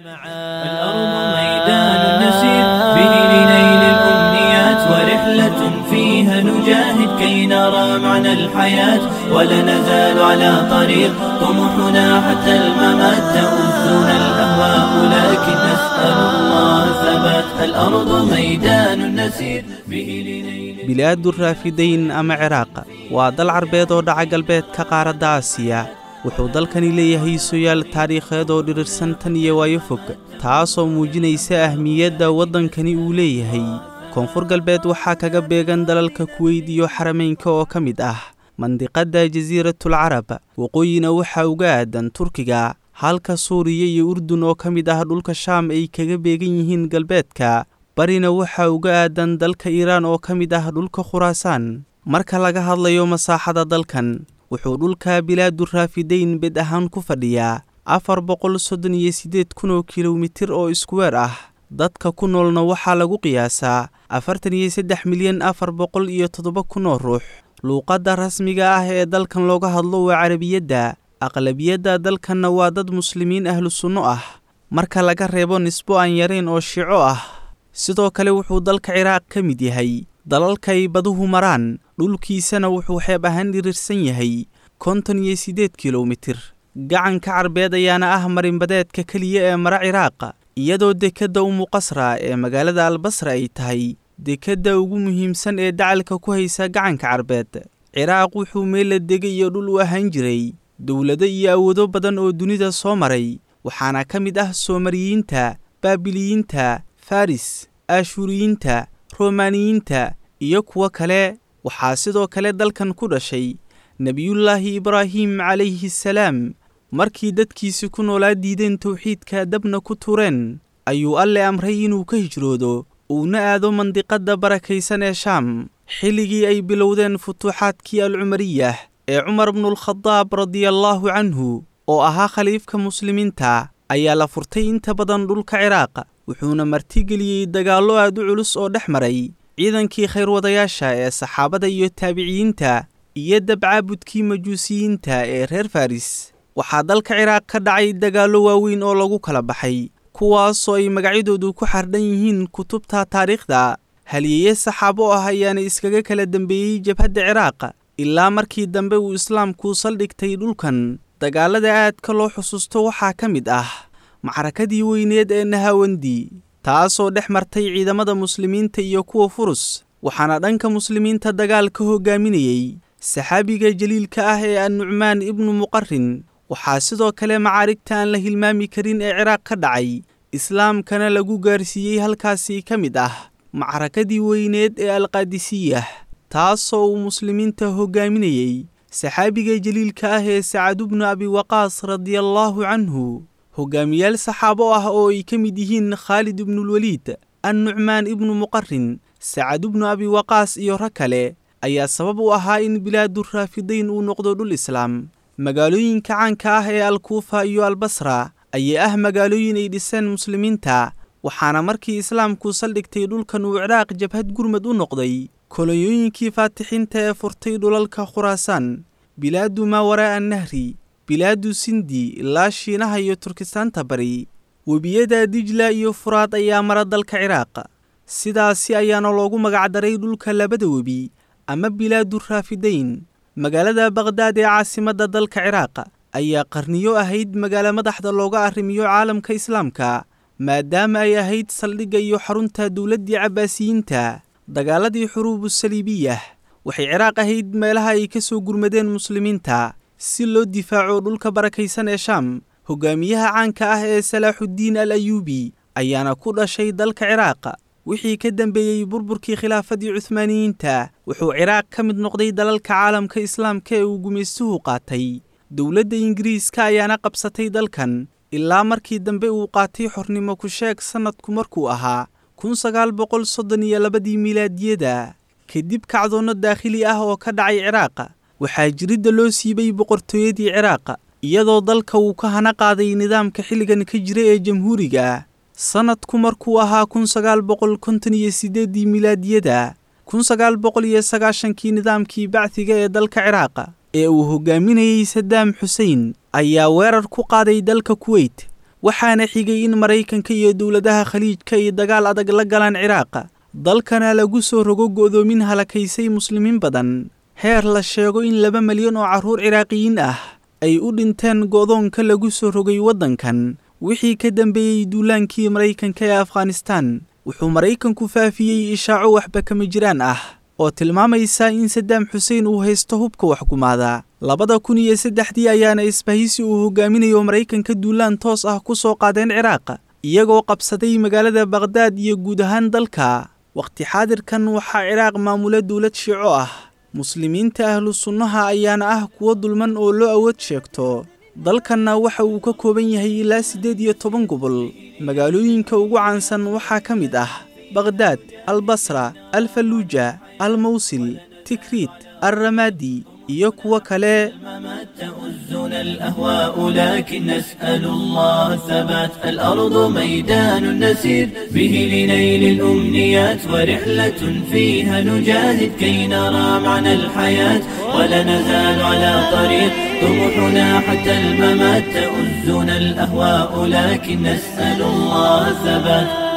الأرض ميدان نسير به لنيل الأمنيات، ورحلة فيها نجاهد كي نرى معنى الحياة، ولا نزال على طريق طموحنا حتى الممات. تؤذنا الأهواء لكن نسأل الله الثبات. الأرض ميدان نسير به لنيل Bilaadu Raafidayn ama Ciraaq waa dal Carbeed oo dhaca galbeedka qaaradda Aasiya. Wuxuu dalkani leeyahay sooyaal taariikheed oo dhirirsan tan iyo waayo fog, taasoo muujinaysa ahmiyadda waddankani uu leeyahay. Koonfur galbeed waxaa kaga beegan dalalka Kuweyd iyo Xarameynka oo ka mid ah mandiqadda Jasiiratul Carab, waqooyina waxaa uga aadan Turkiga, halka Suuriya iyo Urdun oo ka mid ah dhulka Shaam ay kaga beegan yihiin galbeedka. Barina waxaa uga aadan dalka Iiraan oo ka mid ah dhulka Khuraasaan. Marka laga hadlayo masaaxada dalkan, wuxuu dhulka Bilaadu Raafidayn bed ahaan ku fadhiyaa 438,000 oo kilomitir oo iskuweer ah. Dadka ku noolna waxaa lagu qiyaasaa 43,407,000 oo ruux. Luuqadda rasmiga ah ee dalkan looga hadlo waa Carabiyadda. Aqlabiyadda dalkanna waa dad Muslimiin ahlu sunno ah, marka laga reebo nisbo aan yarayn oo Shiico ah. Sidoo kale wuxuu dalka Ciraaq ka mid yahay dalalka ay baduhu maraan, dhulkiisana wuxuu xeeb ahaan dhirirsan yahay 58 kilomitir. Gacanka Carbeed ayaana ah marinbadeedka keliya ee mara Ciraaq, iyadoo dekedda Umuqasra ee magaalada Albasra ay tahay dekedda ugu muhiimsan ee dacalka ku haysa gacanka Carbeed. Ciraaq wuxuu meel la degay iyo dhul u ahaan jiray dowlado iyo awoodo badan oo dunida soo maray, waxaana ka mid ah Soomariyiinta, Baabiliyiinta, Faris, Ashuuriyiinta, Romaaniyiinta iyo kuwo kale. Waxaa sidoo kale dalkan ku dhashay Nebiyullaahi Ibraahim calayhi salaam. Markii dadkiisi ku noolaa diideen towxiidka, dabna ku tureen, ayuu Alle amray inuu ka hijroodo uuna aado mandiqadda barakaysan ee Shaam. Xilligii ay bilowdeen futuuxaadkii Alcumariyah ee Cumar bnulkhadaab radiallaahu canhu oo ahaa khaliifka Muslimiinta, ayaa la furtay inta badan dhulka Ciraaq, wuxuuna martigeliyey dagaallo aad u culus oo dhex maray ciidankii khayrwadayaasha ee saxaabada iyo taabiciyiinta iyo dabcaabudkii Majuusiyiinta ee reer Faris. Waxaa dalka Ciraaq ka dhacay dagaallo waaweyn oo lagu kala baxay, kuwaasoo ay magacyadoodu ku xardhan yihiin kutubta taariikhda. Halyeeye saxaabo ah ayaana iskaga kala dambeeyey jabhadda Ciraaq ilaa markii dambe uu Islaamku saldhigtay dhulkan. Dagaalada aadka loo xusuusto waxaa ka mid ah macrakadii weyneed ee Nahawandi, taasoo dhex martay ciidamada Muslimiinta iyo kuwa Furus, waxaana dhanka Muslimiinta dagaal ka hogaaminayey saxaabiga jaliilka ah ee Annucmaan ibnu Muqarin. Waxaa sidoo kale macaarigta aan la hilmaami karin ee Ciraaq ka dhacay, Islaamkana lagu gaarsiiyey halkaasi, ka mid ah macrakadii weyneed ee Alqaadisiyah, taasoo uu Muslimiinta hogaaminayey saxaabiga jaliilka ah ee Sacad bnu Abi Waqaas radiallaahu canhu. Hogaamiyaal saxaabo ah oo ay ka mid yihiin Khaalid ibnulweliid, Annucmaan ibnu Muqarin, Sacad bnu Abi Waqaas iyo rag kale ayaa sabab u ahaa in Bilaadu Raafidayn uu noqdo dhul Islaam. Magaalooyinka caanka ah ee Alkuufa iyo Albasra ayaa ah magaalooyin ay dhiseen Muslimiinta, waxaana markii Islaamku saldhigtay dhulkan uu Ciraaq jabhad gurmad u noqday kolonyooyinkii faatixiinta ee furtay dhulalka Khuraasaan, bilaadu maa waraa'a nahri, bilaadu Sindi ilaa Shiinaha iyo Turkistaanta bari. Webiyada Dijla iyo Furaad ayaa mara dalka Ciraaq, sidaasi ayaana loogu magacdaray dhulka labada webi ama Bilaadu Raafidayn. Magaalada Baqhdaad ee caasimadda dalka Ciraaq ayaa qarniyo ahayd magaalo madaxda looga arrimiyo caalamka Islaamka, maadaama ay ahayd saldhigga iyo xarunta dowladdii Cabbaasiyiinta. Dagaaladii Xuruubu Saliibiyah waxay Ciraaq ahayd meelaha ay ka soo gurmadeen Muslimiinta si loo difaaco dhulka barakaysan ee Shaam. Hogaamiyaha caanka ah ee Salaaxuddiin al Ayuubi ayaana ku dhashay dalka Ciraaq. Wixii ka dambeeyey burburkii khilaafadii Cuhmaaniyiinta, wuxuu Ciraaq ka mid noqday dalalka caalamka Islaamka ee uu gumaystuhu qaatay. Dowladda Ingiriiska ayaana qabsatay dalkan ilaa markii dambe uu qaatay xornimo ku sheeg sannadku markuu ahaa 1932dii milaadiyada, kadib kacdoonno daakhili ah oo ka dhacay Ciraaq. Waxaa jiridda loo siibay boqortooyadii Ciraaq, iyadoo dalka uu ka hana qaaday nidaamka xilligan ka jira ee jamhuuriga. Sannadku markuu ahaa 1958dii milaadiyada, 1990kii nidaamkii Bacdiga ee dalka Ciraaq ee uu hogaaminayey Sadaam Xusein ayaa weerar ku qaaday dalka Kuweyt. Waxaana xigay in Maraykanka iyo dowladaha Khaliijka ay dagaal adag la galaan Ciraaq, dalkana lagu soo rogo go'doomin halakaysay muslimiin badan, heer la sheego in 2 malyan oo carruur Ciraaqiyiin ah ay u dhinteen go'doonka lagu soo rogay waddankan. Wixii ka dambeeyey duulaankii Maraykanka ee Afghanistan, wuxuu Maraykanku faafiyey ishaaco waxba kama jiraan ah oo tilmaamaysa in Saddaam Xuseen uu haysto hubka waxgumaada. 2003dii ayaana isbahaysi uu hogaaminayo Maraykanka duulaan toos ah ku soo qaadeen Ciraaq, iyagoo qabsaday magaalada Baqhdaad iyo guud ahaan dalka. Waqti xaadirkan waxaa Ciraaq maamula dowlad Shiico ah, muslimiinta ahlu sunnaha ayaana ah kuwo dulman oo loo awood sheegto. Dalkanna waxa uu ka kooban yahay ilaa 18 gobol. Magaalooyinka ugu caansan waxaa ka mid ah Baqhdaad, Albasra, Alfaluuja, Almawsil, Tikriit, Alramaadi iyo kuwo kale. تؤزنا الأهواء لكن نسأل الله الثبات. الأرض ميدان نسير به لنيل الأمنيات، ورحلة فيها نجاهد كي نرى معنى الحياة، ولا نزال على طريق طموحنا حتى الممات. تؤزنا الأهواء لكن نسأل الله الثبات.